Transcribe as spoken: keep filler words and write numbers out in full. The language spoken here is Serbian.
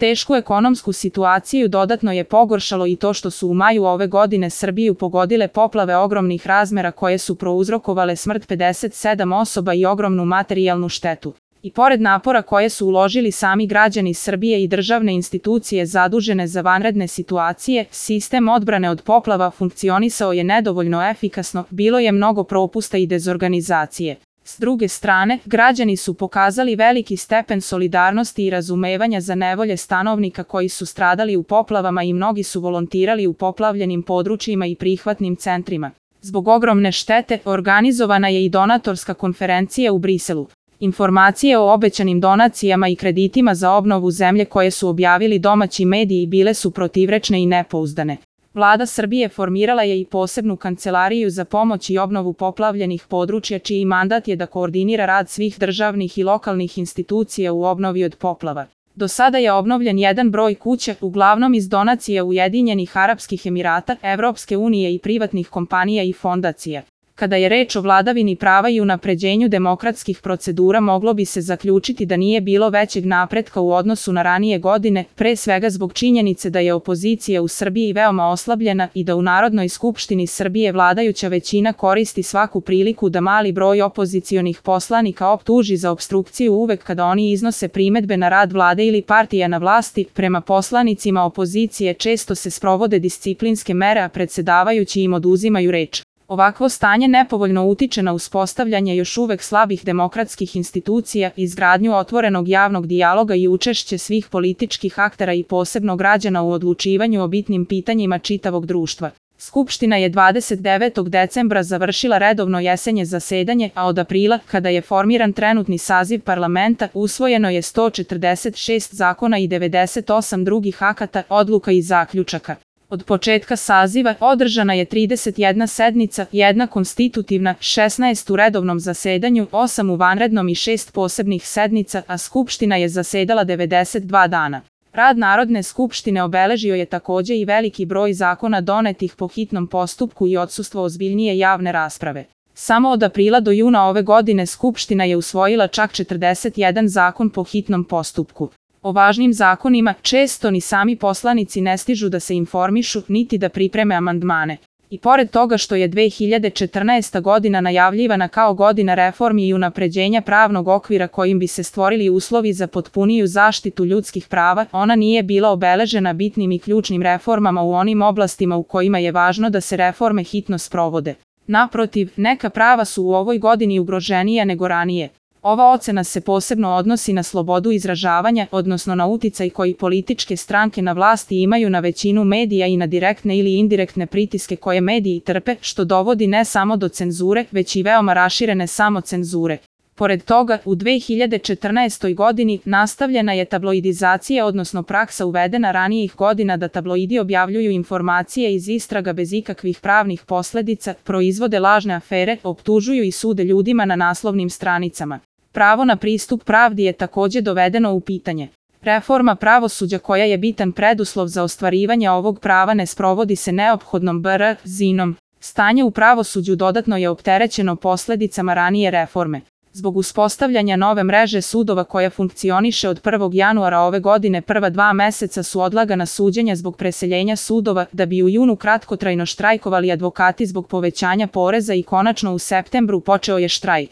Tešku ekonomsku situaciju dodatno je pogoršalo i to što su u maju ove godine Srbiju pogodile poplave ogromnih razmera koje su prouzrokovale smrt pedeset sedam osoba i ogromnu materijalnu štetu. I pored napora koje su uložili sami građani Srbije i državne institucije zadužene za vanredne situacije, sistem odbrane od poplava funkcionisao je nedovoljno efikasno, bilo je mnogo propusta i dezorganizacije. S druge strane, građani su pokazali veliki stepen solidarnosti i razumevanja za nevolje stanovnika koji su stradali u poplavama i mnogi su volontirali u poplavljenim područjima i prihvatnim centrima. Zbog ogromne štete, organizovana je i donatorska konferencija u Briselu. Informacije o obećanim donacijama i kreditima za obnovu zemlje koje su objavili domaći mediji bile su protivrečne i nepouzdane. Vlada Srbije formirala je i posebnu kancelariju za pomoć i obnovu poplavljenih područja čiji mandat je da koordinira rad svih državnih i lokalnih institucija u obnovi od poplava. Do sada je obnovljen jedan broj kuća, uglavnom iz donacija Ujedinjenih Arapskih Emirata, Evropske unije i privatnih kompanija i fondacija. Kada je reč o vladavini prava i unapređenju demokratskih procedura, moglo bi se zaključiti da nije bilo većeg napretka u odnosu na ranije godine, pre svega zbog činjenice da je opozicija u Srbiji veoma oslabljena i da u Narodnoj skupštini Srbije vladajuća većina koristi svaku priliku da mali broj opozicionih poslanika optuži za opstrukciju uvek kada oni iznose primedbe na rad vlade ili partija na vlasti. Prema poslanicima opozicije često se sprovode disciplinske mere, a predsedavajući im oduzimaju reč. Ovakvo stanje nepovoljno utiče na uspostavljanje još uvek slabih demokratskih institucija, izgradnju otvorenog javnog dijaloga i učešće svih političkih aktera i posebno građana u odlučivanju o bitnim pitanjima čitavog društva. Skupština je dvadeset devetog decembra završila redovno jesenje zasedanje, a od aprila, kada je formiran trenutni saziv parlamenta, usvojeno je sto četrdeset šest zakona i devedeset osam drugih akata, odluka i zaključaka. Od početka saziva održana je trideset jedna sednica, jedna konstitutivna, šesnaest u redovnom zasedanju, osam u vanrednom i šest posebnih sednica, a Skupština je zasedala devedeset dva dana. Rad Narodne skupštine obeležio je takođe i veliki broj zakona donetih po hitnom postupku i odsustvo ozbiljnije javne rasprave. Samo od aprila do juna ove godine Skupština je usvojila čak četrdeset jedan zakon po hitnom postupku. O važnim zakonima često ni sami poslanici ne stižu da se informišu, niti da pripreme amandmane. I pored toga što je dve hiljade četrnaesta godina najavljivana kao godina reformi i unapređenja pravnog okvira kojim bi se stvorili uslovi za potpuniju zaštitu ljudskih prava, ona nije bila obeležena bitnim i ključnim reformama u onim oblastima u kojima je važno da se reforme hitno sprovode. Naprotiv, neka prava su u ovoj godini ugroženija nego ranije. Ova ocena se posebno odnosi na slobodu izražavanja, odnosno na uticaj koji političke stranke na vlasti imaju na većinu medija i na direktne ili indirektne pritiske koje mediji trpe, što dovodi ne samo do cenzure, već i veoma raširene samocenzure. Pored toga, u dve hiljade četrnaestoj godini nastavljena je tabloidizacija, odnosno praksa uvedena ranijih godina da tabloidi objavljuju informacije iz istraga bez ikakvih pravnih posledica, proizvode lažne afere, optužuju i sude ljudima na naslovnim stranicama. Pravo na pristup pravdi je takođe dovedeno u pitanje. Reforma pravosuđa koja je bitan preduslov za ostvarivanje ovog prava ne sprovodi se neophodnom brzinom. Stanje u pravosuđu dodatno je opterećeno posledicama ranije reforme. Zbog uspostavljanja nove mreže sudova koja funkcioniše od prvog januara ove godine, prva dva meseca su odlagana suđenja zbog preseljenja sudova, da bi u junu kratkotrajno štrajkovali advokati zbog povećanja poreza i konačno u septembru počeo je štrajk.